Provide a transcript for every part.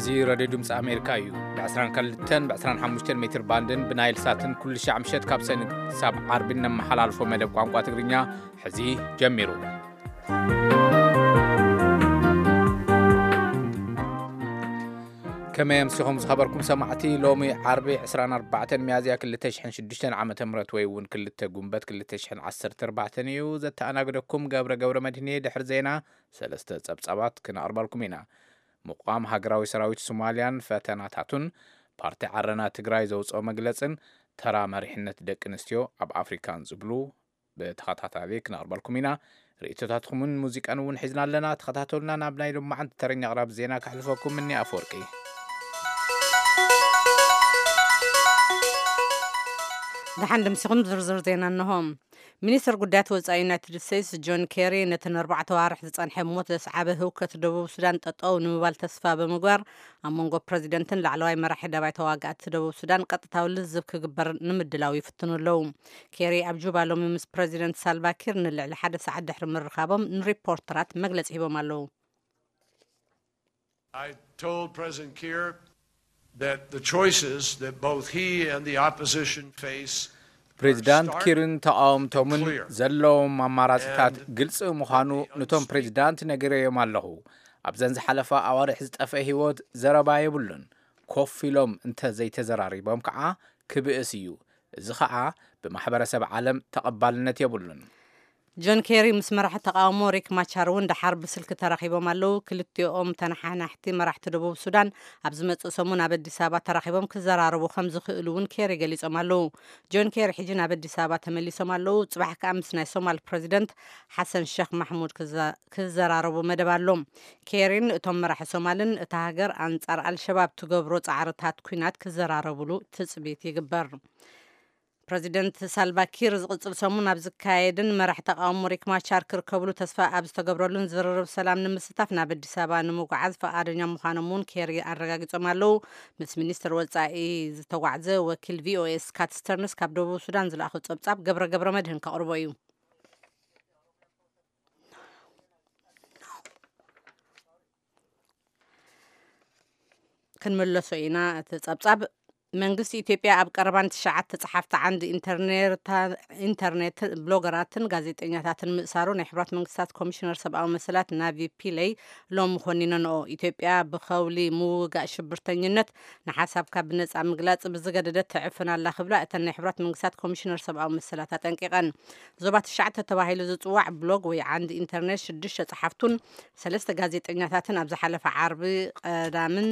እዚ ሬድዮ ድምፂ ኣሜሪካ እዩ። ብ22 ብ25 ሜትር ባንድን ብናይል ሳትን ኩሉ ሻዕ ምሸት ካብ ሰኒ ክሳብ ዓርቢ እነመሓላልፎ መደብ ቋንቋ ትግርኛ ሕዚ ጀሚሩ። ከመይ ኣምሲኹም ዝኸበርኩም ሰማዕቲ? ሎሚ ዓርቢ 24 ሚያዝያ 2006 ዓ ም ወይ እውን 2 ጉንበት 2014 እዩ። ዘተኣናግደኩም ገብረ ገብረ መድህን እየ። ድሕሪ ዜና ሰለስተ ጸብጻባት ክነቕርበልኩም ኢና። ምቋም ሃገራዊ ሰራዊት ሶማልያን ፈተናታቱን፣ ፓርቲ ዓረና ትግራይ ዘውፅኦ መግለፅን፣ ተራ መሪሕነት ደቂ ኣንስትዮ ኣብ ኣፍሪካን ዝብሉ ብተኸታታሊ ክነቕርበልኩም ኢና። ርእቶታትኩምን ሙዚቃን እውን ሒዝና ኣለና። ተኸታተሉና። ናብ ናይ ሎማዓንቲ ተረኛ ኣቕራቢ ዜና ከሕልፈኩም እኒ ኣፈወርቂ። ደሓን ድምሲኹም ዝርዝር ዜና እንሆ። ሚኒስትር ጉዳያት ወጻኢ ዩናይትድ ስቴትስ ጆን ኬሪ ነቲ ንኣርባዕተ ዋርሕ ዝጸንሐ ሞት ዘስዓበ ህውከት ደቡብ ሱዳን ጠጠው ንምባል ተስፋ ብምግባር ኣብ መንጎ ፕረዚደንትን ላዕለዋይ መራሒ ደባይ ተዋጋእቲ ደቡብ ሱዳን ቀጥታዊ ልዝብ ክግበር ንምድላው ይፍትኑ ኣለዉ። ኬሪ ኣብ ጁባ ሎሚ ምስ ፕረዚደንት ሳልቫኪር ንልዕሊ ሓደ ሰዓት ድሕሪ ምርኻቦም ንሪፖርተራት መግለጺ ሂቦም ኣለዉ። I told President Kiir that the choices that both he and the opposition face ፕሬዚዳንት ኪርን ተቓወምቶምን ዘለዎም ኣማራፅታት ግልፂ ምዃኑ ነቶም ፕሬዚዳንት ነጊረዮም ኣለኹ። ኣብዘን ዝሓለፋ ኣዋርሕ ዝጠፍአ ህይወት ዘረባ የብሉን። ኮፍ ኢሎም እንተ ዘይተዘራሪቦም ከዓ ክብእስ እዩ። እዚ ከዓ ብማሕበረሰብ ዓለም ተቐባልነት የብሉን። ጆን ኬሪ ምስ መራሒ ተቃውሞ ሪክ ማቻር እውን ደሓር ብስልኪ ተራኺቦም ኣለዉ። ክልቲኦም ተነሓናሕቲ መራሕቲ ደቡብ ሱዳን ኣብ ዝመጽእ ሰሙን ኣብ ኣዲስ ኣበባ ተራኺቦም ክዘራረቡ ከም ዝኽእሉ እውን ኬሪ ገሊጾም ኣለዉ። ጆን ኬሪ ሕጂ ናብ ኣዲስ ኣበባ ተመሊሶም ኣለዉ። ጽባሕ ከኣ ምስ ናይ ሶማል ፕረዚደንት ሓሰን ሸክ ማሕሙድ ክዘራረቡ መደብ ኣሎ። ኬሪን እቶም መራሒ ሶማልን እታ ሃገር ኣንጻር ኣልሸባብ ትገብሮ ጻዕርታት ኲናት ክዘራረብሉ ትጽቢት ይግበር። ፕረዚደንት ሳልቫኪር ዝቕጽል ሰሙን ኣብ ዝካየድን መራሕ ተቃውሞ ሪክ ማቻር ክርከብሉ ተስፋ ኣብ ዝተገብረሉን ዝርርብ ሰላም ንምስታፍ ናብ ኣዲስ ኣበባ ንምጉዓዝ ፈቓደኛ ምዃኖም እውን ኬሪ ኣረጋጊጾም ኣለዉ። ምስ ሚኒስትር ወጻኢ ዝተጓዕዘ ወኪል ቪኦኤ ስካት ስተርንስ ካብ ደቡብ ሱዳን ዝለኣኾ ጸብጻብ ገብረ ገብረ መድህን ከቕርቦ እዩ። ክንምለሶ ኢና። እቲ ጸብጻብ መንግስቲ ኢትዮጵያ ኣብ ቀረባን ትሽዓተ ጸሓፍቲ ዓንዲ ኢንተርኔት ብሎገራትን ጋዜጠኛታትን ምእሳሩ ናይ ሕቡራት መንግስታት ኮሚሽነር ሰብኣዊ መሰላት ናቪ ፒለይ ሎሚ ኮኒነንኦ። ኢትዮጵያ ብኸውሊ ምውጋእ ሽብርተኝነት ንሓሳብካ ብነጻ ምግላጽ ብዝገደደት ትዕፍን ኣላ ክብላ እተን ናይ ሕቡራት መንግስታት ኮሚሽነር ሰብኣዊ መሰላት ኣጠንቂቐን። ዞባ ትሽዓተ ተባሂሉ ዝጽዋዕ ብሎግ ወይ ዓንዲ ኢንተርኔት ሽዱሽተ ጸሓፍቱን ሰለስተ ጋዜጠኛታትን ኣብ ዝሓለፈ ዓርቢ ቀዳምን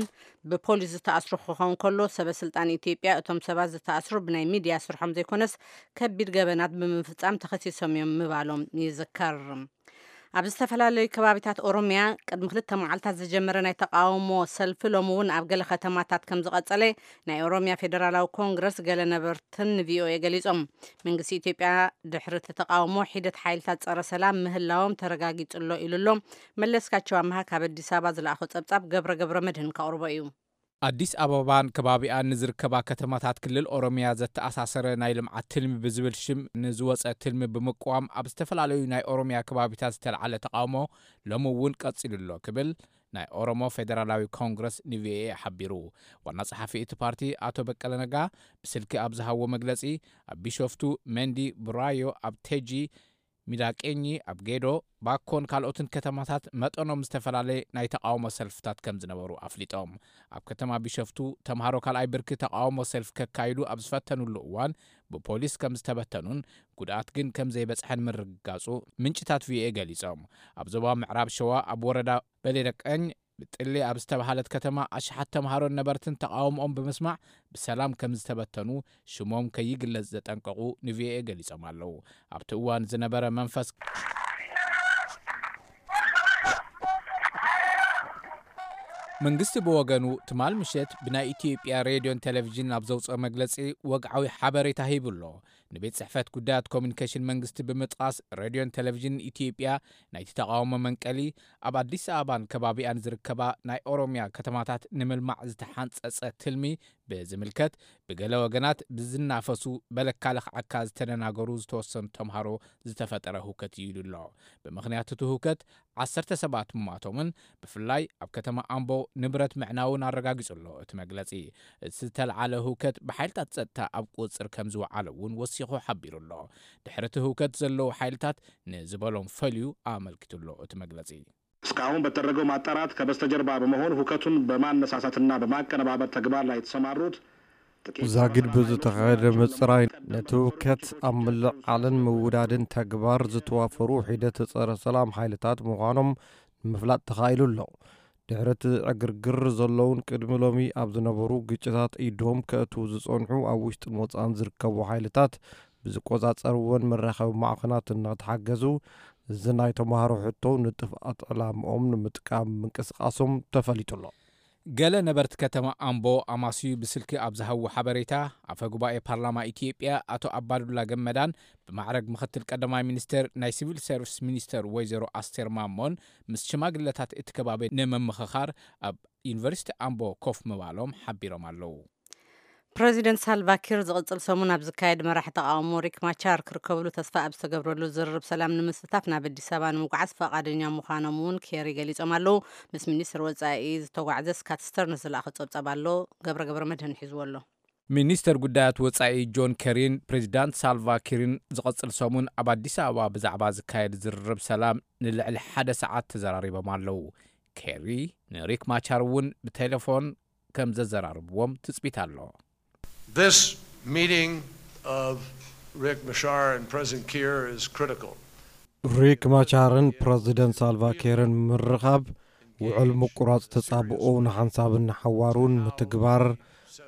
ብፖሊስ ዝተኣስሩ ክኸውን ከሎ፣ ሰበ ስልጣን ኢትዮጵያ እቶም ሰባት ዝተኣስሩ ብናይ ሚድያ ስርሖም ዘይኮነስ ከቢድ ገበናት ብምፍጻም ተኸሲሶም እዮም ምባሎም ይዝከር። ኣብ ዝተፈላለዩ ከባቢታት ኦሮሚያ ቅድሚ ክልተ መዓልታት ዝጀመረ ናይ ተቃውሞ ሰልፊ ሎሚ እውን ኣብ ገለ ከተማታት ከም ዝቐጸለ ናይ ኦሮሚያ ፌደራላዊ ኮንግረስ ገለ ነበርትን ንቪኦኤ ገሊጾም። መንግስቲ ኢትዮጵያ ድሕሪ እቲ ተቃውሞ ሒደት ሓይልታት ጸረ ሰላም ምህላዎም ተረጋጊጹ ኣሎ ኢሉ ኣሎ። መለስካቸው ኣምሃ ካብ ኣዲስ ኣበባ ዝለኣኾ ጸብጻብ ገብረ ገብረ መድህን ከቕርቦ እዩ። ኣዲስ ኣበባን ከባቢኣን ንዝርከባ ከተማታት ክልል ኦሮሚያ ዘተኣሳሰረ ናይ ልምዓት ትልሚ ብዝብል ሽም ንዝወፀ ትልሚ ብምቅዋም ኣብ ዝተፈላለዩ ናይ ኦሮሚያ ከባቢታት ዝተልዓለ ተቃውሞ ሎሚ እውን ቀፂሉ ኣሎ ክብል ናይ ኦሮሞ ፌደራላዊ ኮንግረስ ንቪኦኤ ሓቢሩ። ዋና ጸሓፊ እቲ ፓርቲ ኣቶ በቀለ ነጋ ብስልኪ ኣብ ዝሃብዎ መግለጺ ኣብ ቢሾፍቱ፣ መንዲ፣ ቡራዮ፣ ኣብ ቴጂ፣ ሚዳቄኚ፣ ኣብ ጌዶ፣ ባኮን ካልኦትን ከተማታት መጠኖም ዝተፈላለየ ናይ ተቃውሞ ሰልፍታት ከም ዝነበሩ ኣፍሊጦም። ኣብ ከተማ ቢሾፍቱ ተምሃሮ ካልኣይ ብርኪ ተቃውሞ ሰልፊ ከካይዱ ኣብ ዝፈተኑሉ እዋን ብፖሊስ ከም ዝተበተኑን ጉድኣት ግን ከም ዘይበጽሐን ምርግጋጹ ምንጭታት ቪኦኤ ገሊጾም። ኣብ ዞባ ምዕራብ ሸዋ ኣብ ወረዳ በሌደቀኝ ብጥሊ ኣብ ዝተባሃለት ከተማ ኣሽሓት ተምሃሮን ነበርትን ተቃውሞኦም ብምስማዕ ብሰላም ከም ዝተበተኑ ሽሞም ከይግለጽ ዘጠንቀቑ ንቪኦኤ ገሊጾም ኣለዉ። ኣብቲ እዋን ዝነበረ መንፈስ መንግስቲ ብወገኑ ትማል ምሸት ብናይ ኢትዮጵያ ሬድዮን ቴሌቪዥን ኣብ ዘውፅኦ መግለፂ ወግዓዊ ሓበሬታ ሂቡ ኣሎ። ንቤት ጽሕፈት ጉዳያት ኮሚኒኬሽን መንግስቲ ብምጥቓስ ሬድዮን ቴሌቪዥን ኢትዮጵያ ናይቲ ተቓውሞ መንቀሊ ኣብ ኣዲስ ኣበባን ከባቢኣን ዝርከባ ናይ ኦሮሚያ ከተማታት ንምልማዕ ዝተሓንጸጸ ትልሚ ብዝምልከት ብገለ ወገናት ብዝናፈሱ በለካ ለኽዓካ ዝተደናገሩ ዝተወሰኑ ተምሃሮ ዝተፈጠረ ህውከት እዩ ኢሉ ኣሎ። ብምኽንያት እቲ ህውከት ዓሰርተ ሰባት ምሟቶምን ብፍላይ ኣብ ከተማ ኣምቦ ንብረት ምዕናውን ኣረጋጊጹ ኣሎ እቲ መግለጺ። እቲ ዝተለዓለ ህውከት ብሓይልታት ጸጥታ ኣብ ቁጽጽር ከም ዝወዓለ እውን ወሲኹ ሓቢሩ ኣሎ። ድሕሪ እቲ ህውከት ዘለዉ ሓይልታት ንዝበሎም ፈልዩ ኣመልኪቱ ኣሎ እቲ መግለጺ። እስካሁን በተደረገው ማጣራት ከበስተጀርባ በመሆን ሁከቱን በማነሳሳትና በማቀነባበር ተግባር ላይ የተሰማሩት ጥቂት ዛጊድ ጸረ ሰላም ብዝተኻየደ ኃይሎች ምጽራይ መሆናቸውን ነቲ ህውከት ኣብ ምልዓልን ምውዳድን ተግባር ዝተዋፈሩ ሒደት ጸረ ሰላም ሓይልታት ምዃኖም ንምፍላጥ ተኻኢሉ ኣሎ። ድሕሪ እቲ ዕግርግር ዘለውን ቅድሚ ሎሚ ኣብ ዝነበሩ ግጭታት ኢዶም ከእትዉ ዝጸንሑ ኣብ ውሽጥን ወጻእን ዝርከቡ ሓይልታት ብዝቆጻጸርዎን መራኸቢ ማዕኸናት እናተሓገዙ እዚ ናይ ተምሃሮ ሕቶ ንጥፍኣት ዕላምኦም ንምጥቃም ምንቅስቃሶም ተፈሊጡ ኣሎ። ገለ ነበርቲ ከተማ ኣምቦ ኣማስዩ ብስልኪ ኣብ ዝሃብዎ ሓበሬታ፣ ኣፈ ጉባኤ ፓርላማ ኢትዮጵያ ኣቶ ኣባዱላ ገመዳን ብማዕረግ ምኽትል ቀዳማይ ሚኒስትር ናይ ሲቪል ሰርቪስ ሚኒስትር ወይዘሮ ኣስቴር ማሞን ምስ ሽማግለታት እቲ ከባቢ ንምምኽኻር ኣብ ዩኒቨርሲቲ ኣምቦ ኮፍ ምባሎም ሓቢሮም ኣለዉ። ፕረዚደንት ሳልቫ ኪር ዝቕጽል ሰሙን ኣብ ዝካየድ መራሒ ተቓውሞ ሪክ ማቻር ክርከብሉ ተስፋ ኣብ ዝተገብረሉ ዝርርብ ሰላም ንምስታፍ ናብ ኣዲስ ኣበባ ንምጉዓዝ ፈቓደኛ ምዃኖም እውን ኬሪ ገሊጾም ኣለዉ። ምስ ሚኒስትር ወጻኢ ዝተጓዕዘ ስካት ስተርንስ ዝለኣኸ ጸብጻብ ኣሎ። ገብረ ገብረ መድህን ሒዝዎ ኣሎ። ሚኒስተር ጉዳያት ወጻኢ ጆን ኬሪን ፕሬዚዳንት ሳልቫ ኪርን ዝቐጽል ሰሙን ኣብ ኣዲስ ኣበባ ብዛዕባ ዝካየድ ዝርርብ ሰላም ንልዕሊ ሓደ ሰዓት ተዘራሪቦም ኣለዉ። ኬሪ ንሪክ ማቻር እውን ብቴሌፎን ከም ዘዘራርብዎም ትጽቢት ኣሎ። This meeting of Rick Machar and President Kiir is critical. ሪክ ማቻርን ፕረዚደንት ሳልቫ ኪርን ምርኻብ ውዕል ምቁራጽ ተጻብኦ ንሓንሳብን ንሓዋሩን ምትግባር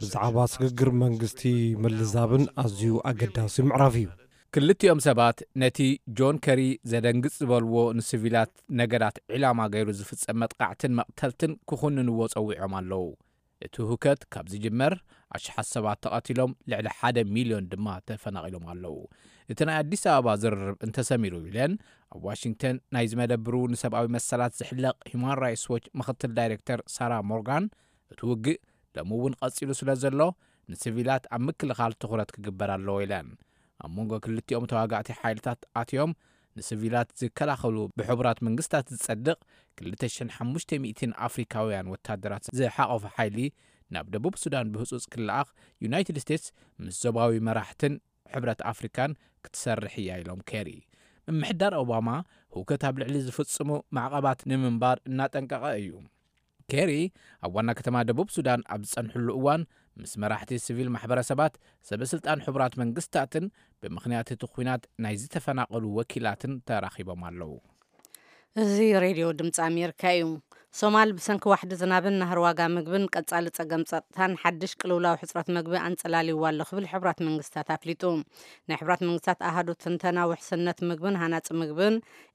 ብዛዕባ ስግግር መንግስቲ ምልዛብን ኣዝዩ ኣገዳሲ ምዕራፍ እዩ። ክልቲኦም ሰባት ነቲ ጆን ከሪ ዘደንግጽ ዝበልዎ ንሲቪላት ነገዳት ዒላማ ገይሩ ዝፍጸም መጥቃዕትን መቕተልትን ክኹንንዎ ጸዊዖም ኣለዉ። እቲ ሁከት ካብ ዝጅመር ኣሽሓት ሰባት ተቐቲሎም ልዕሊ ሓደ ሚልዮን ድማ ተፈናቒሎም ኣለዉ። እቲ ናይ ኣዲስ ኣበባ ዝርርብ እንተሰሚሩ ኢለን ኣብ ዋሽንግተን ናይ ዝመደብሩ ንሰብኣዊ መሰላት ዝሕለቕ ሂማን ራይትስ ዎች ምኽትል ዳይሬክተር ሳራ ሞርጋን እቲ ውግእ ሎሚ እውን ቀጺሉ ስለ ዘሎ ንሲቪላት ኣብ ምክልኻል ትኹረት ክግበር ኣለዎ ኢለን። ኣብ መንጎ ክልቲኦም ተዋጋእቲ ሓይልታት ኣትዮም ንሲቪላት ዝከላኸሉ ብሕቡራት መንግስታት ዝጸድቕ ክልተ ሽሕን ሓሙሽተ ሚእትን ኣፍሪካውያን ወታደራት ዝሓቐፈ ሓይሊ ናብ ደቡብ ሱዳን ብህጹጽ ክለኣኽ ዩናይትድ ስቴትስ ምስ ዞባዊ መራሕትን ሕብረት ኣፍሪካን ክትሰርሕ እያ ኢሎም ኬሪ። ምምሕዳር ኦባማ ህውከት ኣብ ልዕሊ ዝፍጽሙ ማዕቐባት ንምንባር እናጠንቀቐ እዩ። ኬሪ ኣብ ዋና ከተማ ደቡብ ሱዳን ኣብ ዝጸንሕሉ እዋን ምስ መራሕቲ ሲቪል ማሕበረሰባት ሰበ ስልጣን ሕቡራት መንግስታትን ብምኽንያት እቲ ኲናት ናይ ዝተፈናቐሉ ወኪላትን ተራኺቦም ኣለዉ። እዚ ሬድዮ ድምፂ ኣሜሪካ እዩ። ሶማል ብሰንኪ ዋሕዲ ዝናብን ናህሪ ዋጋ ምግብን ቀጻሊ ጸገም ጸጥታን ሓድሽ ቅልውላው ሕጽረት ምግቢ ኣንጸላልይዋ ኣሎ ክብል ሕቡራት መንግስታት ኣፍሊጡ። ናይ ሕቡራት መንግስታት ኣሃዱ ትንተና ውሕስነት ምግብን ሃናጺ ምግብን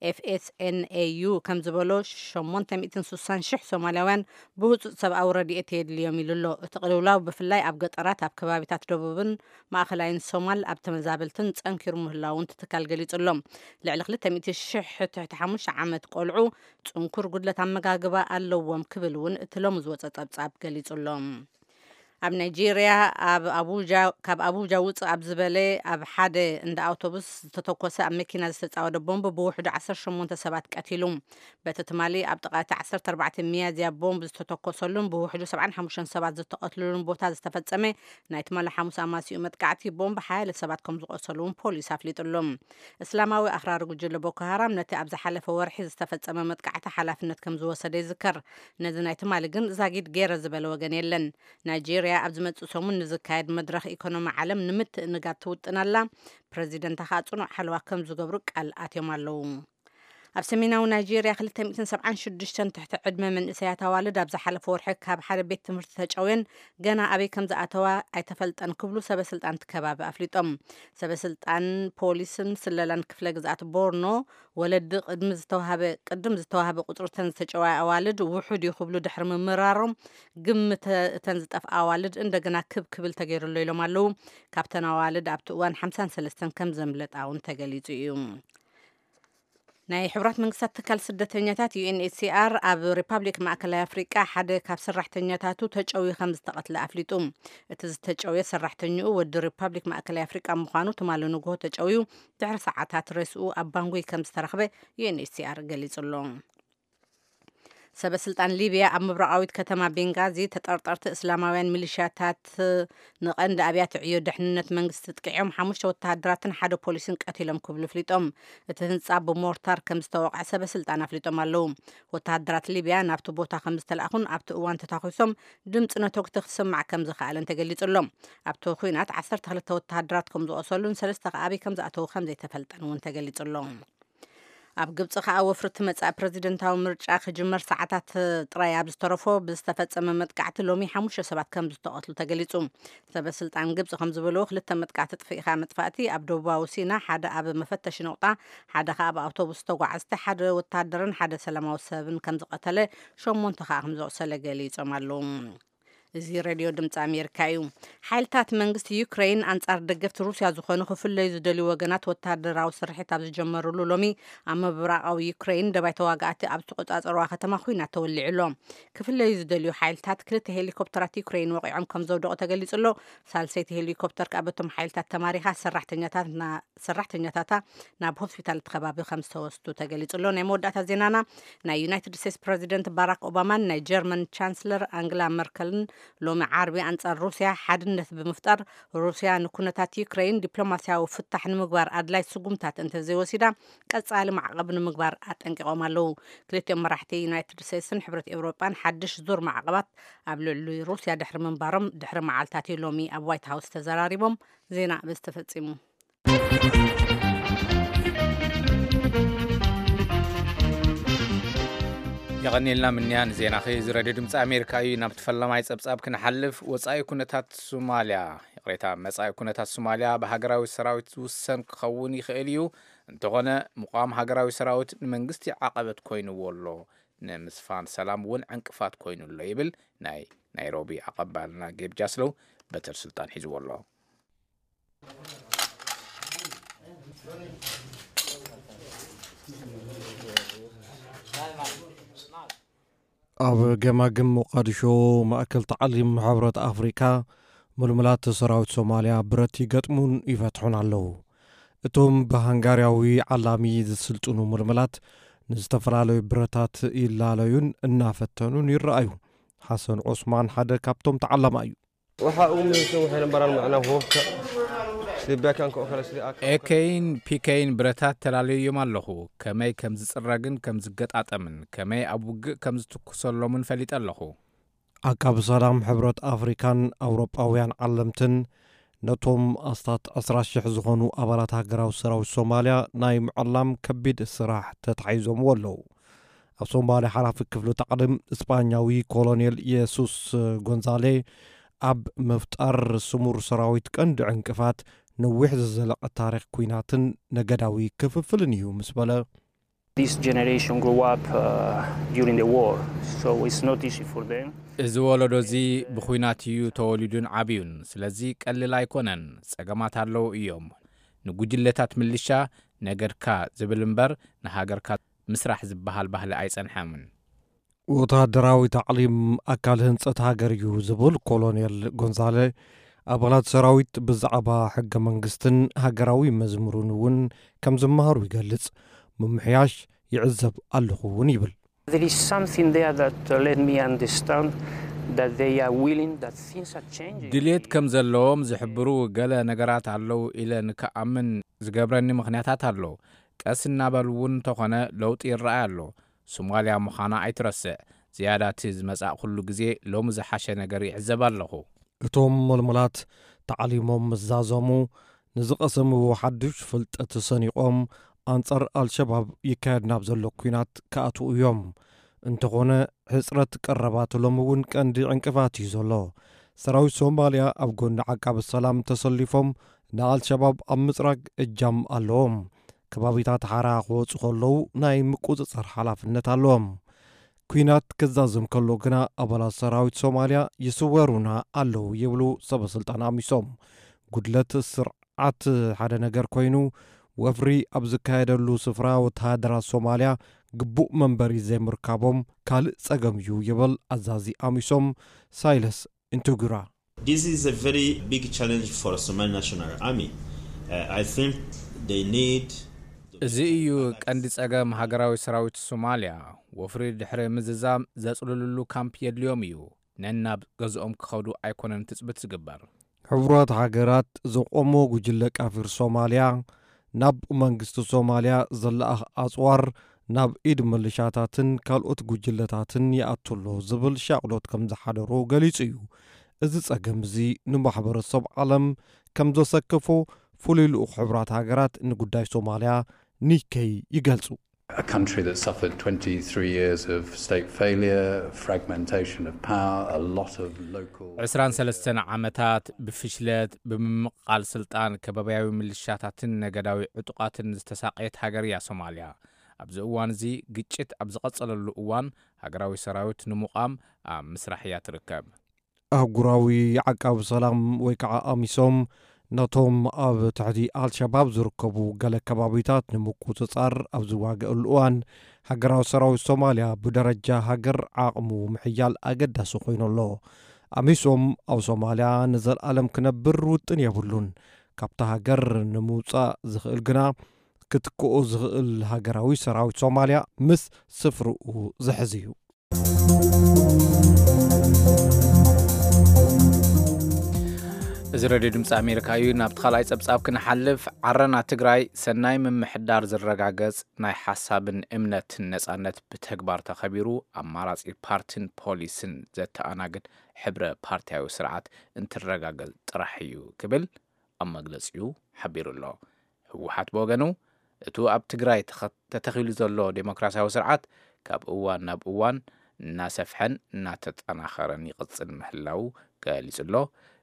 ኤፍኤስኤንኤዩ ከም ዝበሎ ሸሞንተ ሚእትን ስሳን ሽሕ ሶማልያውያን ብህጹጽ ሰብኣዊ ረድኤት የድልዮም ኢሉ ኣሎ። እቲ ቅልውላው ብፍላይ ኣብ ገጠራት ኣብ ከባቢታት ደቡብን ማእኸላይን ሶማል ኣብ ተመዛበልትን ጸንኪሩ ምህላውን እቲ ትካል ገሊጹ ኣሎ። ልዕሊ ክልተ ሚእቲ ሽሕ ትሕቲ ሓሙሽተ ዓመት ቆልዑ ጽንኩር ጉድለት ኣመጋግባ ኣለዎም ክብል እውን እቲ ሎሚ ዝወጸ ጸብጻብ ገሊጹ ኣሎ። ኣብ ናይጄርያ ኣብ ኣቡጃ ካብ ኣቡጃ ውፅእ ኣብ ዝበለ ኣብ ሓደ እንዳ ኣውቶቡስ ዝተተኮሰ ኣብ መኪና ዝተፃወደ ቦምብ ብውሕዱ ዓሰርተ ሸሞንተ ሰባት ቀቲሉ። በቲ ትማሊ ኣብ ጥቓ እቲ ዓሰርተ ኣርባዕተ ሚያዝያ ቦምብ ዝተተኮሰሉን ብውሕዱ ሰብዓን ሓሙሽተን ሰባት ዝተቐትልሉን ቦታ ዝተፈፀመ ናይ ትማሊ ሓሙስ ኣማሲኡ መጥቃዕቲ ቦምብ ሓያለ ሰባት ከም ዝቆሰሉ እውን ፖሊስ ኣፍሊጡ ኣሎ። እስላማዊ ኣኽራሪ ጉጅለ ቦኮ ሃራም ነቲ ኣብ ዝሓለፈ ወርሒ ዝተፈጸመ መጥቃዕቲ ሓላፍነት ከም ዝወሰደ ይዝከር። ነዚ ናይ ትማሊ ግን ዛጊድ ገይረ ዝበለ ወገን የለን። ናይጄርያ ኣብ ዝመጽእ ሰሙን ንዝካየድ መድረኽ ኢኮኖሚ ዓለም ንምትእንጋድ ትውጥን ኣላ። ፕረዚደንታ ከኣ ጽኑዕ ሓለዋ ከም ዝገብሩ ቃል ኣትዮም ኣለዉ። ኣብ ሰሜናዊ ናይጄርያ ክልተ ሚእትን ሰብዓን ሽዱሽተን ትሕቲ ዕድመ መንእሰያት ኣዋልድ ኣብ ዝሓለፈ ወርሒ ካብ ሓደ ቤት ትምህርቲ ተጨውየን ገና ኣበይ ከም ዝኣተዋ ኣይተፈልጠን ክብሉ ሰበ ስልጣን እቲ ከባቢ ኣፍሊጦም። ሰበ ስልጣን ፖሊስን ስለላን ክፍለ ግዝኣት ቦርኖ ወለዲ ቅድሚ ዝተዋሃበ ቅድም ዝተዋሃበ ቁጽሪ እተን ዝተጨወያ ኣዋልድ ውሑድ እዩ ክብሉ ድሕሪ ምምራሮም ግምት እተን ዝጠፍኣ ኣዋልድ እንደገና ክብ ክብል ተገይሩ ኣሎ ኢሎም ኣለዉ። ካብተን ኣዋልድ ኣብቲ እዋን ሓምሳን ሰለስተን ከም ዘምለጣ እውን ተገሊጹ እዩ። ናይ ሕቡራት መንግስታት ትካል ስደተኛታት ዩ ኤን ኤች ሲ ኣር ኣብ ሪፓብሊክ ማእከላይ ኣፍሪቃ ሓደ ካብ ሰራሕተኛታቱ ተጨውዩ ከም ዝተቐትለ ኣፍሊጡ። እቲ ዝተጨውየ ሰራሕተኛኡ ወዲ ሪፓብሊክ ማእከላይ ኣፍሪቃ ምዃኑ ትማሊ ንግሆ ተጨውዩ ድሕሪ ሰዓታት ሬስኡ ኣብ ባንጉይ ከም ዝተረኽበ ዩ ኤን ኤች ሲ ኣር ገሊጹ ኣሎ። ሰበ ስልጣን ሊብያ ኣብ ምብራቓዊት ከተማ ቤንጋዚ ተጠርጠርቲ እስላማውያን ሚሊሽያታት ንቐንዲ ኣብያተ ዕዮ ድሕንነት መንግስቲ ጥቂዖም ሓሙሽተ ወተሃደራትን ሓደ ፖሊስን ቀቲሎም ክብሉ ኣፍሊጦም። እቲ ህንጻ ብሞርታር ከም ዝተወቕዐ ሰበ ስልጣን ኣፍሊጦም ኣለዉ። ወተሃደራት ሊብያ ናብቲ ቦታ ከም ዝተላእኹን ኣብቲ እዋን ተታኺሶም ድምፂ ነተጉቲ ክስማዕ ከም ዝኸኣለን ተገሊጹ ኣሎ። ኣብቲ ኲናት ዓሰርተ ክልተ ወተሃደራት ከም ዝቖሰሉን ሰለስተ ከኣ ኣበይ ከም ዝኣተዉ ከም ዘይተፈልጠን እውን ተገሊጹ ኣሎ። ኣብ ግብፂ ከኣ ወፍሪ እቲ መጻኢ ፕረዚደንታዊ ምርጫ ክጅመር ሰዓታት ጥራይ ኣብ ዝተረፎ ብዝተፈጸመ መጥቃዕቲ ሎሚ ሓሙሽተ ሰባት ከም ዝተቐትሉ ተገሊጹ። ሰበ ስልጣን ግብፂ ከም ዝበልዎ ክልተ መጥቃዕቲ ጥፊእካ መጥፋእቲ ኣብ ደቡባዊ ሲና ሓደ ኣብ መፈተሺ ነቑጣ ሓደ ከኣ ኣብ ኣውቶቡስ ተጓዓዝቲ ሓደ ወታደርን ሓደ ሰላማዊ ሰብን ከም ዝቐተለ ሸሞንተ ከኣ ከም ዘቑሰለ ገሊጾም ኣለዉ። እዚ ሬድዮ ድምፂ ኣሜሪካ እዩ። ሓይልታት መንግስቲ ዩክሬን ኣንጻር ደገፍቲ ሩስያ ዝኾኑ ክፍለዩ ዝደልዩ ወገናት ወታደራዊ ስርሒት ኣብ ዝጀመሩሉ ሎሚ ኣብ ምብራቓዊ ዩክሬን ደባይ ተዋጋእቲ ኣብ ዝተቆጻጸርዋ ከተማ ኹናት ተወሊዑ ኣሎ። ክፍለዩ ዝደልዩ ሓይልታት ክልተ ሄሊኮፕተራት ዩክሬን ወቒዖም ከም ዘውደቑ ተገሊጹ ኣሎ። ሳልሰይቲ ሄሊኮፕተር ከኣ በቶም ሓይልታት ተማሪኻ ሰራሕተኛታት ና- ሰራሕተኛታታ ናብ ሆስፒታል እቲ ከባቢ ከም ዝተወስዱ ተገሊጹ ኣሎ። ናይ መወዳእታ ዜናና፣ ናይ ዩናይትድ ስቴትስ ፕረዚደንት ባራክ ኦባማን ናይ ጀርመን ቻንስለር ኣንግላ መርከልን ሎሚ ዓርቢ ኣንጻር ሩስያ ሓድነት ብምፍጣር ሩስያ ንኩነታት ዩክሬን ዲፕሎማስያዊ ፍታሕ ንምግባር ኣድላይ ስጉምታት እንተዘይወሲዳ ቀጻሊ ማዕቐብ ንምግባር ኣጠንቂቖም ኣለዉ። ክልቲኦም መራሕቲ ዩናይትድ ስቴትስን ሕብረት ኤውሮጳን ሓድሽ ዙር ማዕቐባት ኣብ ልዕሊ ሩስያ ድሕሪ ምንባሮም ድሕሪ መዓልታት እዩ ሎሚ ኣብ ዋይት ሃውስ ተዘራሪቦም። ዜና በዚ ተፈጺሙ። የቐኒልና ምንያ ንዜናኺ። እዚ ሬድዮ ድምፂ ኣሜሪካ እዩ። ናብቲ ፈላማይ ጸብጻብ ክንሓልፍ፣ ወጻኢ ኩነታት ሶማልያ፣ ይቕሬታ፣ መጻኢ ኩነታት ሶማልያ ብሃገራዊ ሰራዊት ዝውሰን ክኸውን ይኽእል እዩ። እንተኾነ፣ ምቋም ሃገራዊ ሰራዊት ንመንግስቲ ዓቐበት ኮይንዎ ኣሎ፣ ንምስፋን ሰላም እውን ዕንቅፋት ኮይኑ ኣሎ ይብል ናይ ናይሮቢ ኣቐባልና ጌብ ጃስሎው። በትር ስልጣን ሒዝዎ ኣሎ። ኣብ ገማግም ሞቃዲሾ፣ ማእከል ታዕሊም ሕብረት ኣፍሪካ፣ ምልምላት ሰራዊት ሶማልያ ብረት ይገጥሙን ይፈትሑን ኣለዉ። እቶም ብሃንጋርያዊ ዓላሚ ዝስልጥኑ ምልምላት ንዝተፈላለዩ ብረታት ይላለዩን እናፈተኑን ይረኣዩ። ሓሰን ዑስማን ሓደ ካብቶም ተዓላማ እዩ። Waxa uu muhiimsan waxay nambaraan macnaha hubka sida beekanka oo kale sida AK. ኤኬይን ፒኬይን ብረታት ተላለዮም ኣለኹ። ከመይ ከም ዝጽረግን ከም ዝገጣጠምን ከመይ ኣብ ውግእ ከም ዝትኩሰሎምን ፈሊጠ ኣለኹ። ዓቃቢ ሰላም ሕብረት ኣፍሪካን ኣውሮጳውያን ዓለምትን ነቶም ኣስታት ዕስራ ሽሕ ዝኾኑ ኣባላት ሃገራዊ ሰራዊት ሶማልያ ናይ ምዕላም ከቢድ ስራሕ ተታሒዞምዎ ኣለዉ። ኣብ ሶማልያ ሓላፊ ክፍሊ ታዕሊም እስጳኛዊ ኮሎኔል የሱስ ጎንዛሌ ኣብ ምፍጣር ስሙር ሰራዊት ቀንዲ ዕንቅፋት ነዊሕ ዝዘለቐ ታሪኽ ኲናትን ነገዳዊ ክፍፍልን እዩ ምስ በለ፣ This generation grew up uh, during the war, so it's not easy for them. እዚ ወለዶ እዚ ብኹናት እዩ ተወሊዱን ዓብዩን፣ ስለዚ ቀሊል ኣይኮነን። ጸገማት ኣለዉ እዮም። ንጉጅለታት ምልሻ ነገድካ ዝብል እምበር ንሃገርካ ምስራሕ ዝበሃል ባህሊ ኣይጸንሐምን። ወተሃደራዊ ታዕሊም ኣካል ህንጸት ሃገር እዩ ዝብል ኮሎኔል ጎንዛለ፣ ኣባላት ሰራዊት ብዛዕባ ሕገ መንግስትን ሃገራዊ መዝሙርን እውን ከም ዝመሃሩ ይገልጽ። ምምሕያሽ ይዕዘብ ኣለኹ እውን ይብል። There is something there that uh, let me understand that they are willing, that things are changing. ድሌት ከም ዘለዎም ዝሕብሩ ገለ ነገራት ኣለዉ ኢለ ንክኣምን ዝገብረኒ ምኽንያታት ኣሎ። ቀስ እናበሉ እውን እንተኾነ ለውጢ ይረኣይ ኣሎ። ሶማልያ ምዃና ኣይትረስዕ። ዝያዳ እቲ ዝመጻእ ኩሉ ግዜ ሎሚ ዝሓሸ ነገር ይዕዘብ ኣለኹ። እቶም ምልምላት ታዕሊሞም ምስ ዛዘሙ፣ ንዝቐሰምዎ ሓድሽ ፍልጠት ሰኒቖም ኣንጻር ኣልሸባብ ይካየድ ናብ ዘሎ ኲናት ክኣትዉ እዮም። እንተኾነ፣ ሕጽረት ቀረባት ሎሚ እውን ቀንዲ ዕንቅፋት እዩ ዘሎ። ሰራዊት ሶማልያ ኣብ ጎኒ ዓቃቢ ሰላም ተሰሊፎም ንኣልሸባብ ኣብ ምጽራግ እጃም ኣለዎም። ከባቢታት ሓራ ክወጹ ከለዉ ናይ ምቁጽጻር ሓላፍነት ኣለዎም። ኲናት ክዛዘም ከሎ ግና ኣባላት ሰራዊት ሶማልያ ይስወሩና ኣለዉ ይብሉ ሰበ ስልጣን ኣሚሶም። ጉድለት ስርዓት ሓደ ነገር ኮይኑ፣ ወፍሪ ኣብ ዝካየደሉ ስፍራ ወተሃደራት ሶማልያ ግቡእ መንበሪ ዘይምርካቦም ካልእ ጸገም እዩ ይብል ኣዛዚ ኣሚሶም ሳይለስ ኢንቱጉራ። This is a very big challenge for Somali National Army. Uh, I think they need እዚ እዩ ቀንዲ ጸገም ሃገራዊ ሰራዊት ሶማልያ። ወፍሪ ድሕሪ ምዝዛም ዘጽልሉሉ ካምፕ የድልዮም እዩ። ነናብ ገዝኦም ክኸዱ ኣይኮነን ትጽብት ዝግበር። ሕቡራት ሃገራት ዘቆሞ ጉጅለ ቃፊር ሶማልያ ናብ መንግስቲ ሶማልያ ዘለኣኽ ኣጽዋር ናብ ኢድ ምልሻታትን ካልኦት ጉጅለታትን ይኣቱ ኣሎ ዝብል ሻቕሎት ከም ዝሓደሮ ገሊጹ እዩ። እዚ ጸገም እዚ ንማሕበረሰብ ዓለም ከም ዘሰከፎ ፍሉይ ልኡኽ ሕቡራት ሃገራት ንጉዳይ ሶማልያ ኒከይ ይገልጹ። A country that suffered twenty-three years of state failure, fragmentation of power, a lot of local ዕስራን ሰለስተን ዓመታት ብፍሽለት፣ ብምምቕቓል ስልጣን፣ ከባብያዊ ምልሻታትን ነገዳዊ ዕጡቓትን ዝተሳቐየት ሃገር እያ ሶማልያ። ኣብዚ እዋን እዚ ግጭት ኣብ ዝቐጸለሉ እዋን፣ ሃገራዊ ሰራዊት ንምቋም ኣብ ምስራሕ እያ ትርከብ። ኣህጉራዊ ዓቃቢ ሰላም ወይ ከዓ ኣሚሶም ነቶም ኣብ ትሕቲ ኣልሸባብ ዝርከቡ ገለ ከባቢታት ንምቁጽጻር ኣብ ዝዋገአሉ እዋን፣ ሃገራዊ ሰራዊት ሶማልያ ብደረጃ ሃገር ዓቕሙ ምሕያል ኣገዳሲ ኮይኑ ኣሎ። ኣሚሶም ኣብ ሶማልያ ንዘለኣለም ክነብር ውጥን የብሉን። ካብታ ሃገር ንምውጻእ ዝኽእል ግና፣ ክትክኦ ዝኽእል ሃገራዊ ሰራዊት ሶማልያ ምስ ስፍርኡ ዝሕዝ እዩ። እዚ ሬድዮ ድምፂ ኣሜሪካ እዩ። ናብቲ ካልኣይ ጸብጻብ ክንሓልፍ፣ ዓረና ትግራይ ሰናይ ምምሕዳር ዝረጋገጽ ናይ ሓሳብን እምነትን ነጻነት ብተግባር ተኸቢሩ ኣማራጺ ፓርቲን ፖሊስን ዘተኣናግድ ሕብረ ፓርቲያዊ ስርዓት እንትረጋገጽ ጥራሕ እዩ ክብል ኣብ መግለጺኡ ሓቢሩ ኣሎ። ህወሓት ብወገኑ፣ እቱ ኣብ ትግራይ ተኸ-፣ ተተኺሉ ዘሎ ዴሞክራሲያዊ ስርዓት ካብ እዋን ናብ እዋን እናሰፍሐን እናተጠናኸረን ይቕጽል ምህላው ገሊጹ ኣሎ።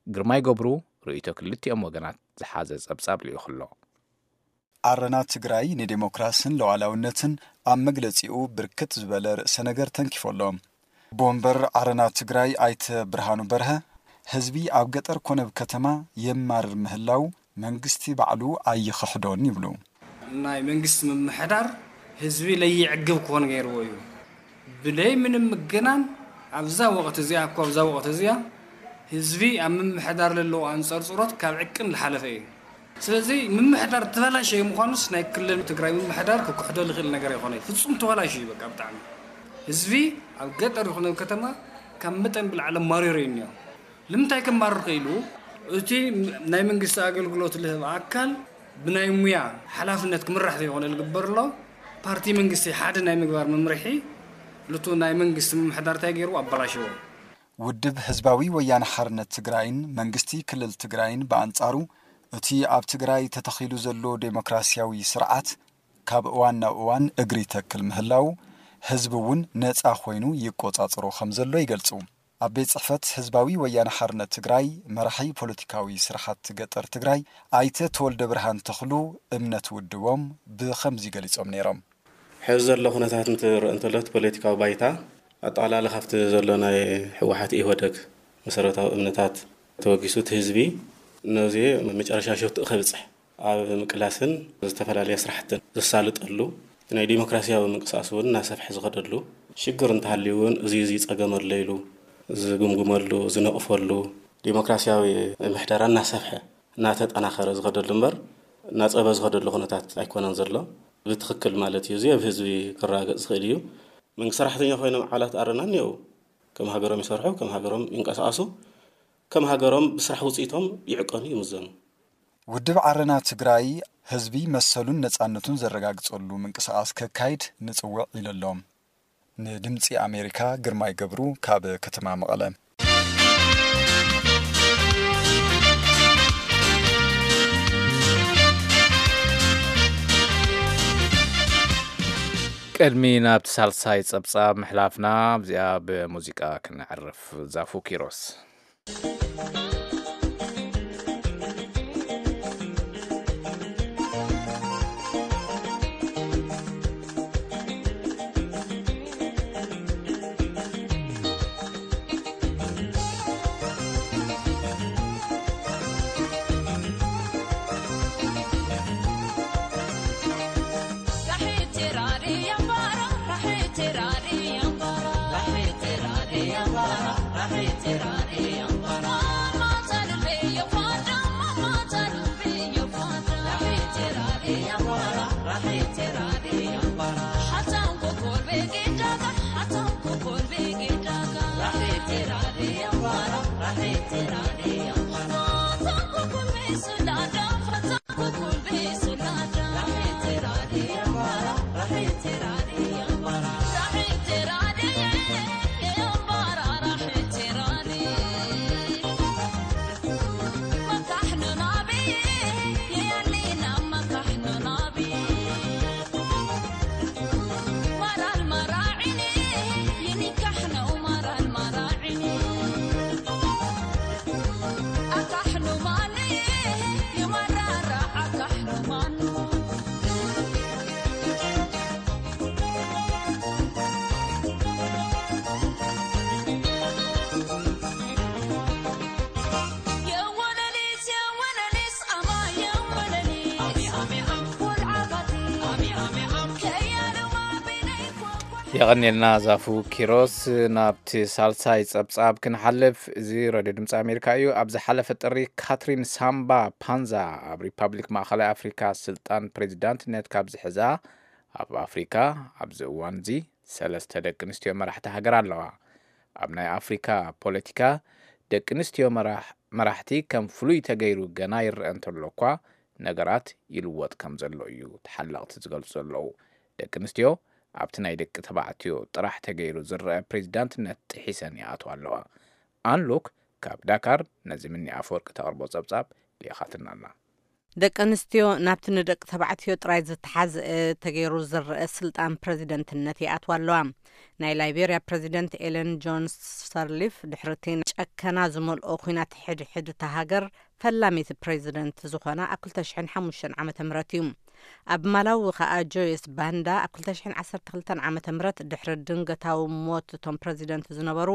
ግርማይ ገብሩ ርእይቶ ክልቲኦም ወገናት ዝሓዘ ጸብጻብ ልኢኹ ኣሎ። ዓረና ትግራይ ንዴሞክራስን ሉዓላውነትን ኣብ መግለጺኡ ብርክት ዝበለ ርእሰ ነገር ተንኪፎ ኣሎ። ቦምበር ዓረና ትግራይ ኣይተ ብርሃኑ በርሀ፣ ህዝቢ ኣብ ገጠር ኮነ ኣብ ከተማ የማርር ምህላው መንግስቲ ባዕሉ ኣይኽሕዶን ይብሉ። ናይ መንግስቲ ምምሕዳር ህዝቢ ለይዕግብ ክኾን ገይርዎ እዩ። ብለይ ምንም ምግናን ኣብዛ ወቕት እዚኣ እኮ ኣብዛ ወቕት እዚኣ ህዝቢ ኣብ ምምሕዳር ለለዎ ኣንጸርጽሮት ካብ ዕቅን ዝሓለፈ እዩ። ስለዚ ምምሕዳር ተበላሸየ ምዃኑስ ናይ ክልል ትግራይ ምምሕዳር ክክሕዶ ዝኽእል ነገር ኣይኮነ። ፍጹም ተበላሸዩ በቃ ብጣዕሚ። ህዝቢ ኣብ ገጠር ይኹን ኣብ ከተማ ካብ መጠን ብላዕሊ ማሪሩ እዩ እኒኦ። ንምንታይ ከማርር ክኢሉ? እቲ ናይ መንግስቲ ኣገልግሎት ልህብ ኣካል ብናይ ሙያ ሓላፍነት ክምራሕ ዘይኮነ ዝግበር ኣሎ። ፓርቲ መንግስቲ ሓደ ናይ ምግባር መምርሒ ልቱ ናይ መንግስቲ ምምሕዳር እንታይ ገይሩ ኣበላሸዎ። ውድብ ህዝባዊ ወያነ ሓርነት ትግራይን መንግስቲ ክልል ትግራይን ብኣንጻሩ እቲ ኣብ ትግራይ ተተኺሉ ዘሎ ዴሞክራሲያዊ ስርዓት ካብ እዋን ናብ እዋን እግሪ ተክል ምህላው ህዝቢ እውን ነፃ ኮይኑ ይቆጻጽሮ ከም ዘሎ ይገልጹ። ኣብ ቤት ጽሕፈት ህዝባዊ ወያነ ሓርነት ትግራይ መራሒ ፖለቲካዊ ስራሓት ገጠር ትግራይ ኣይተ ተወልደ ብርሃን ተኽሉ እምነት ውድቦም ብኸምዚ ገሊጾም ነይሮም። ሕዚ ዘሎ ኩነታት እንትርእ እንተሎ እቲ ፖለቲካዊ ባይታ ኣጠቓላሊ ካብቲ ዘሎ ናይ ህወሓት ኢህወደግ መሰረታዊ እምነታት ተወጊሱ እቲ ህዝቢ ነዚ መጨረሻ ሸትኡ ከብፅሕ ኣብ ምቅላስን ዝተፈላለየ ስራሕትን ዘሳልጠሉ ናይ ዲሞክራሲያዊ ምንቅስቃስ እውን እናሰፍሐ ዝኸደሉ ሽግር እንተሃልዩ እውን እዚ እዚ ፀገም ኣሎ ኢሉ ዝግምግመሉ ዝነቕፈሉ ዲሞክራሲያዊ ምሕደራ እናሰፍሐ እናተጠናኸረ ዝኸደሉ እምበር እናፀበ ዝኸደሉ ኩነታት ኣይኮነን ዘሎ። ብትኽክል ማለት እዩ። እዚ ኣብ ህዝቢ ክረጋገፅ ዝኽእል እዩ። መንግስቲ ሰራሕተኛ ኮይኖም ኣባላት ኣረና እኒአው ከም ሃገሮም ይሰርሑ፣ ከም ሃገሮም ይንቀሳቐሱ፣ ከም ሃገሮም ብስራሕ ውፅኢቶም ይዕቀኑ ይምዘኑ። ውድብ ዓረና ትግራይ ህዝቢ መሰሉን ነፃነቱን ዘረጋግፀሉ ምንቅስቃስ ከካይድ ንፅውዕ ኢሉ ኣሎ። ንድምፂ ኣሜሪካ ግርማይ ገብሩ ካብ ከተማ መቐለ። ቅድሚ ናብቲ ሳልሳይ ጸብጻብ ምሕላፍና፣ ኣብዚኣ ብሙዚቃ ክነዕርፍ። ዛፉ ኪሮስ። የቐኔልና ዛፉ ኪሮስ። ናብቲ ሳልሳይ ጸብጻብ ክንሓልፍ፣ እዚ ሬድዮ ድምፂ ኣሜሪካ እዩ። ኣብ ዝሓለፈ ጥሪ ካትሪን ሳምባ ፓንዛ ኣብ ሪፓብሊክ ማእኸላይ ኣፍሪካ ስልጣን ፕሬዚዳንትነት ካብ ዝሕዛ፣ ኣብ ኣፍሪካ ኣብዚ እዋን እዚ ሰለስተ ደቂ ኣንስትዮ መራሕቲ ሃገር ኣለዋ። ኣብ ናይ ኣፍሪካ ፖለቲካ ደቂ ኣንስትዮ መራሕ- መራሕቲ ከም ፍሉይ ተገይሩ ገና ይረአ እንተሎ እኳ፣ ነገራት ይልወጥ ከም ዘሎ እዩ ተሓለቕቲ ዝገልጹ ዘለዉ። ደቂ ኣንስትዮ ኣብቲ ናይ ደቂ ተባዕትዮ ጥራሕ ተገይሩ ዝረአ ፕሬዚዳንትነት ጥሒሰን ይኣትዋ ኣለዋ። ኣንሉክ ካብ ዳካር ነዚ ምኒ ኣፈወርቂ ተቕርቦ ጸብጻብ ልኢኻትና ኣላ። ደቂ ኣንስትዮ ናብቲ ንደቂ ተባዕትዮ ጥራይ ዝተሓዝአ ተገይሩ ዝረአ ስልጣን ፕሬዚደንትነት ይኣትዋ ኣለዋ። ናይ ላይቤርያ ፕሬዚደንት ኤለን ጆንስ ሰርሊፍ ድሕሪ እቲ ጨከና ዝመልኦ ኲናት ሕድሕድ እታ ሃገር ፈላሚት ፕሬዚደንት ዝኾና ኣብ ክልተ ሽሕን ሓሙሽተን ዓመተ ምህረት እዩ። ኣብ ማላዊ ከኣ ጆይስ ባንዳ ኣብ ክልተ ሽሕን ዓሰርተ ክልተን ዓመተ ምህረት ድሕሪ ድንገታዊ ሞት እቶም ፕሬዚደንት ዝነበሩ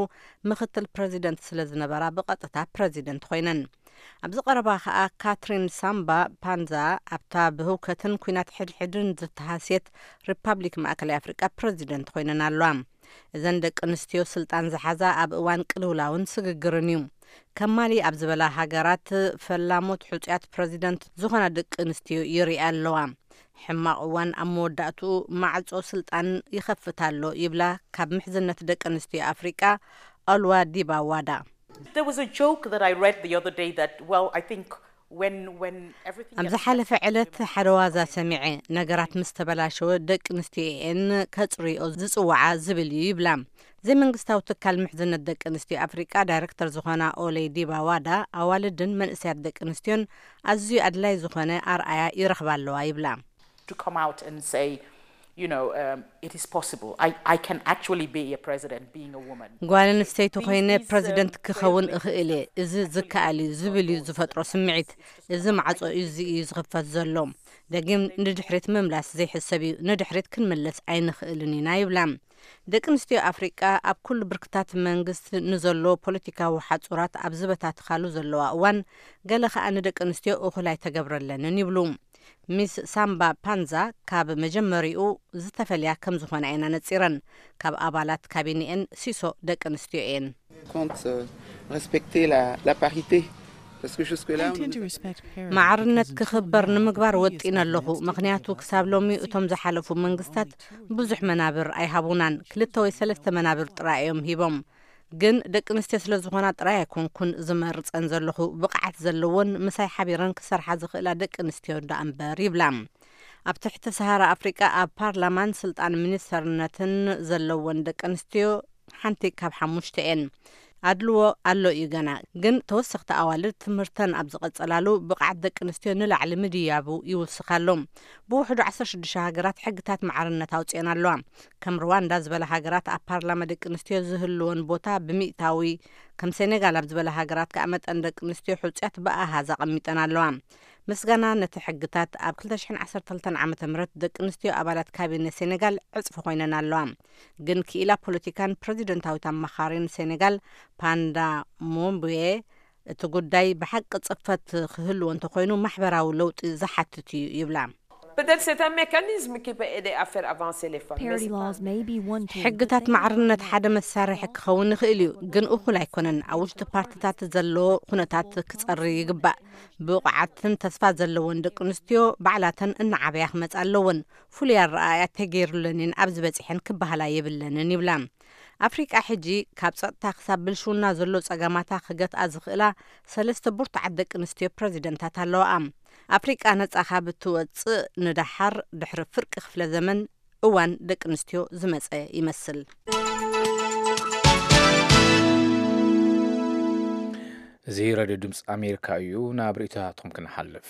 ምኽትል ፕሬዚደንት ስለ ዝነበራ ብቐጥታ ፕሬዚደንት ኮይነን። ኣብዚ ቀረባ ከኣ ካትሪን ሳምባ ፓንዛ ኣብታ ብህውከትን ኲናት ሕድሕድን ዝተሃስየት ሪፓብሊክ ማእከላይ ኣፍሪቃ ፕሬዚደንት ኮይነን ኣለዋ። እዘን ደቂ ኣንስትዮ ስልጣን ዝሓዛ ኣብ እዋን ቅልውላውን ስግግርን እዩ። ከማሊ ኣብ ዝበላ ሃገራት ፈላሞት ሕጹያት ፕሬዚደንት ዝኾና ደቂ ኣንስትዮ ይርኣ ኣለዋ። ሕማቕ እዋን ኣብ መወዳእትኡ ማዕጾ ስልጣን ይኸፍት ኣሎ ይብላ ካብ ምሕዝነት ደቂ ኣንስትዮ ኣፍሪቃ ኣልዋ ዲባ ዋዳ። There was a joke that I read the other day that, well, I think when when everything ኣብ gets ዝሓለፈ messy, ዕለት women ሓደ ዋዛ ሰሚዐ፣ ነገራት ምስ ተበላሸወ ደቂ ኣንስትዮ እየን ከጽርዮ ዝጽውዓ ዝብል እዩ ይብላ። ዘይመንግስታዊ ትካል ምሕዝነት ደቂ ኣንስትዮ ኣፍሪቃ ዳይረክተር ዝኾና ኦሌ ዲባዋዳ፣ ኣዋልድን መንእሰያት ደቂ ኣንስትዮን ኣዝዩ ኣድላይ ዝኾነ ኣርኣያ ይረኽባ ኣለዋ ይብላ። to come out and say, you know, um, it is possible. I, I can actually be a president being a woman. ጓል ኣንስተይቲ ኮይነ ፕረዚደንት ክኸውን እኽእል እየ፣ እዚ ዝከኣል እዩ ዝብል እዩ ዝፈጥሮ ስምዒት። እዚ ማዕጾ እዚ እዩ ዝኽፈት ዘሎ። ደጊም ንድሕሪት ምምላስ ዘይሕሰብ እዩ። ንድሕሪት ክንምለስ ኣይንኽእልን ኢና ይብላ። ደቂ ኣንስትዮ ኣፍሪቃ ኣብ ኩሉ ብርክታት መንግስት ንዘሎ ፖለቲካዊ ሓጹራት ኣብ ዝበታትኻሉ ዘለዋ እዋን፣ ገለ ከኣ ንደቂ ኣንስትዮ እኹል ኣይተገብረለንን ይብሉ። ሚስ ሳምባ ፓንዛ ካብ መጀመሪኡ ዝተፈልያ ከም ዝኾና እየን ኣነጺረን። ካብ ኣባላት ካቢኔኤን ሲሶ ደቂ ኣንስትዮ እየን። Compte euh, respecter la, la parité. Parce que jusque-là, on nous a- ማዕርነት ክኽበር ንምግባር ወጢነ ኣለኹ። ምኽንያቱ ክሳብ ሎሚ እቶም ዝሓለፉ መንግስታት ብዙሕ መናብር ኣይሃቡናን። ክልተ ወይ ሰለስተ መናብር ጥራይ እዮም ሂቦም። ግን ደቂ ኣንስትዮ ስለ ዝኾና ጥራይ ኣይኮንኩን ዝመርጸን ዘለኹ። ብቕዓት ዘለዎን ምሳይ ሓቢረን ክሰርሓ ዝኽእላ ደቂ ኣንስትዮ ደኣ እምበር ይብላ። ኣብ ትሕቲ ሰሃራ ኣፍሪቃ ኣብ ፓርላማን ስልጣን ሚኒስተርነትን ዘለወን ደቂ ኣንስትዮ ሓንቲ ካብ ሓሙሽተ እየን። ኣድልዎ ኣሎ እዩ ገና፣ ግን ተወሰኽቲ ኣዋልድ ትምህርተን ኣብ ዝቐጸላሉ ብቕዓት ደቂ ኣንስትዮ ንላዕሊ ምድያቡ ይውስኽ ኣሎ። ብውሕዱ ዓሰርተ ሽዱሽተ ሃገራት ሕግታት ማዕርነት ኣውጺአን ኣለዋ። ከም ሩዋንዳ ዝበላ ሃገራት ኣብ ፓርላማ ደቂ ኣንስትዮ ዝህልወን ቦታ ብሚእታዊ፣ ከም ሴኔጋል ኣብ ዝበላ ሃገራት ከኣ መጠን ደቂ ኣንስትዮ ሕጹያት ብኣሃዝ ኣቐሚጠን ኣለዋ። ምስጋና ነቲ ሕግታት፣ ኣብ ክልተ ሽሕን ዓሰርተ ክልተን ዓመተ ምህረት ደቂ ኣንስትዮ ኣባላት ካቢነ ሴኔጋል ዕጽፊ ኮይነን ኣለዋ። ግን ክኢላ ፖለቲካን ፕረዚደንታዊት ኣማኻሪን ሴኔጋል ፓንዳ ሞምቡዬ፣ እቲ ጉዳይ ብሓቂ ጽፈት ክህልዎ እንተኾይኑ ማሕበራዊ ለውጢ ዝሓትት እዩ ይብላ። Peut-être c'est un mécanisme qui peut aider à faire avancer les femmes. Mais c'est pas- ሕግታት ማዕርነት ሓደ መሳርሒ ክኸውን ይኽእል እዩ፣ ግን እኹል ኣይኮነን። ኣብ ውሽጢ ፓርቲታት ዘሎ ኩነታት ክጸሪ ይግባእ። ብቑዓትን ተስፋ ዘለዎን ደቂ ኣንስትዮ ባዕላተን እናዓበያ ክመጻ ኣለወን። ፍሉይ ኣረኣእያ ተገይሩለንን ኣብዚ በጺሐን ክበሃላ የብለንን ይብላ። ኣፍሪቃ ሕጂ ካብ ጸጥታ ክሳብ ብልሽውና ዘሎ ጸገማታ ክገትኣ ዝኽእላ ሰለስተ ብርቱዓት ደቂ ኣንስትዮ ፕረዚደንታት ኣለዋኣ። ኣፍሪቃ ነጻ ካብ እትወጽእ ንደሓር ድሕሪ ፍርቂ ክፍለ ዘመን እዋን ደቂ ኣንስትዮ ዝመጸ ይመስል። እዚ ሬድዮ ድምፂ ኣሜሪካ እዩ። ናብ ርእይቶታትኩም ክንሓልፍ።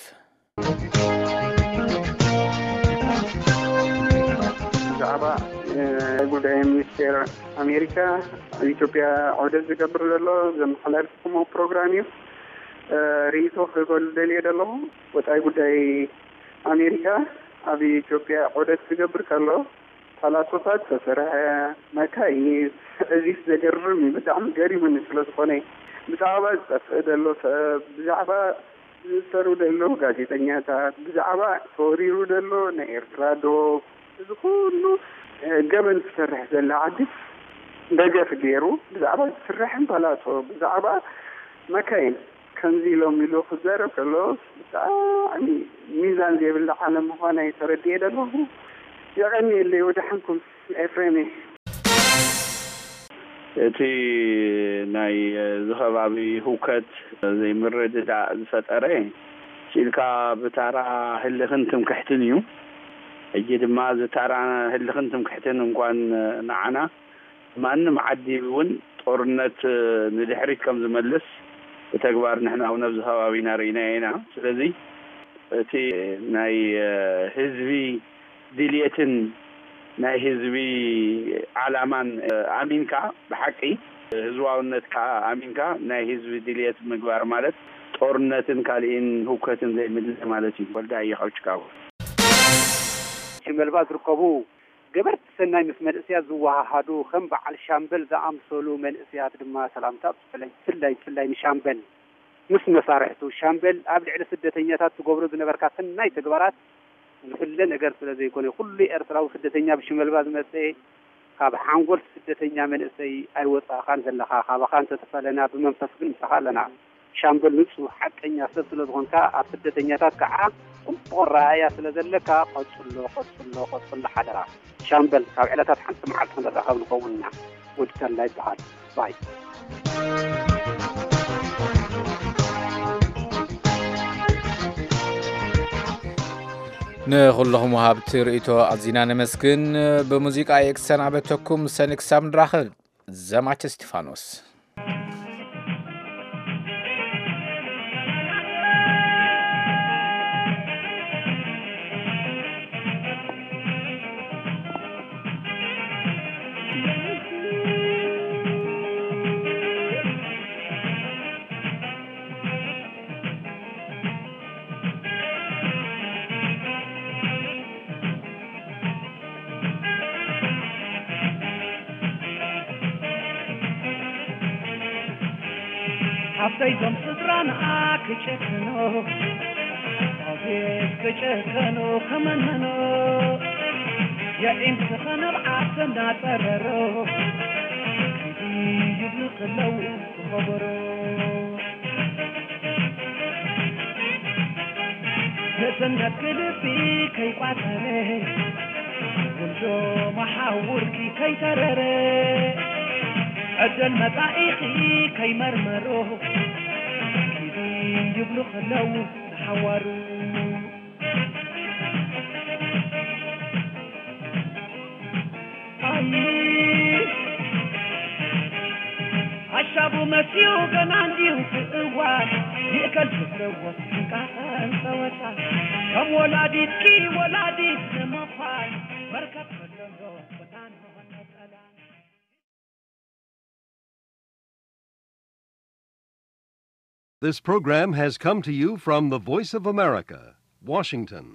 ብዛዕባ ጉዳይ ሚኒስቴር ኣሜሪካ ኣብ ኢትዮጵያ ዑደት ዝገብር ዘሎ ዘመሓላልፍኩሞ ፕሮግራም እዩ። ርእይቶ ክህበሉ ደልየ ዘለኹ። ወፃኢ ጉዳይ ኣሜሪካ ኣብ ኢትዮጵያ ዑደት ክገብር ከሎ ፓላሶታት ዝተሰርሐ መካይን፣ እዚ ዘገርም እዩ። ብጣዕሚ ገሪሙኒ ስለ ዝኾነ ብዛዕባ ዝጠፍእ ዘሎ ሰብ፣ ብዛዕባ ዝእሰሩ ዘለዉ ጋዜጠኛታት፣ ብዛዕባ ተወሪሩ ዘሎ ናይ ኤርትራ ዶብ፣ እዚ ኩሉ ገበን ትሰርሕ ዘላ ዓዲ ደገፍ ገይሩ ብዛዕባ ዝስርሕን ፓላሶ ብዛዕባ መካይን ከምዚ ኢሎም ኢሉ ክዛረብ ከሎ ብጣዕሚ ሚዛን ዘይብላ ዓለም ምዃና እዩ ተረዲኤ ዘለኹ። የቐንየለይ። ወደሓንኩም ኤፍሬም እየ። እቲ ናይ እዚ ከባቢ ህውከት ዘይምርድዳእ ዝፈጠረ ስኢልካ ብታራ ህልኽን ትምክሕትን እዩ። ሕጂ ድማ እዚ ታራ ህልኽን ትምክሕትን እንኳን ንዓና ማንም ዓዲ እውን ጦርነት ንድሕሪት ከም ዝመልስ ብተግባር ንሕና እውን ኣብዚ ከባቢና ርኢናዮ ኢና። ስለዚ እቲ ናይ ህዝቢ ድልየትን ናይ ህዝቢ ዓላማን ኣሚንካ ብሓቂ ህዝባውነት ከዓ ኣሚንካ ናይ ህዝቢ ድልየት ምግባር ማለት ጦርነትን ካሊእን ህውከትን ዘይምድላይ ማለት እዩ። ወልዳ እየ ካብ ችካጎ። ሽመልባ ዝርከቡ ገበርቲ ሰናይ ምስ መንእሰያት ዝወሃሃዱ ከም በዓል ሻምበል ዝኣምሰሉ መንእሰያት ድማ ሰላምታ ብፍላይ ብፍላይ ብፍላይ ንሻምበል ምስ መሳርሕቱ ሻምበል ኣብ ልዕሊ ስደተኛታት ትገብሮ ዝነበርካ ሰናይ ተግባራት ዝፍለ ነገር ስለ ዘይኮነ ኩሉ ኤርትራዊ ስደተኛ ብሽመልባ ዝመጸ ካብ ሓንጎል ስደተኛ መንእሰይ ኣይወጻእኻን ዘለኻ ካባኻ እንተተፈለና ብመንፈስ ግን ምሳኻ ኣለና። ሻምበል ንጹህ ሓቀኛ ሰብ ስለ ዝኾንካ ኣብ ስደተኛታት ከዓ ጽቡቕ ኣረኣእያ ስለ ዘለካ ቀጽሎ ቀጽሎ ቀጽሎ ሓደራ። ሻምበል ካብ ዕለታት ሓንቲ መዓልቲ ክንራኸብ ንኸውን ኢና። ወዲ ተላ ይበሃል። ባይ። ንኹልኹም ወሃብቲ ርእይቶ ኣዚና ነመስግን። ብሙዚቃ እየ ክሰናበተኩም። ሰኒ ክሳብ ንራኸብ። ዘማች እስቲፋኖስ። ሓፍተይ ዞም ስድራና ክጨክኑ ኣቤት ክጨከኑ ከመንመኑ የዒም ስኸነብ ዓርሰ እንዳጠረሩ ከይዲ ይብሉ ከለዉ ክኸበሩ ንእስነት ክልቢ ከይቋጸረ ወልዶ መሓውርኪ ከይተረረ ዕድል መጻኢኺ ከይመርመሮ ኪዲ ይብሉ ከለዉ ንሓዋሩ ኣይ ሓሻቡ መሲኡ ገና እንዲዩ እቲ እዋን ይእከል ዝብለዎ እንቃቐን ጸወታ ከም ወላዲትኪ ወላዲት ንምዃን መርከብ ከለሎ ክዳን መቐጸላ This program has come to you from the Voice of America, Washington.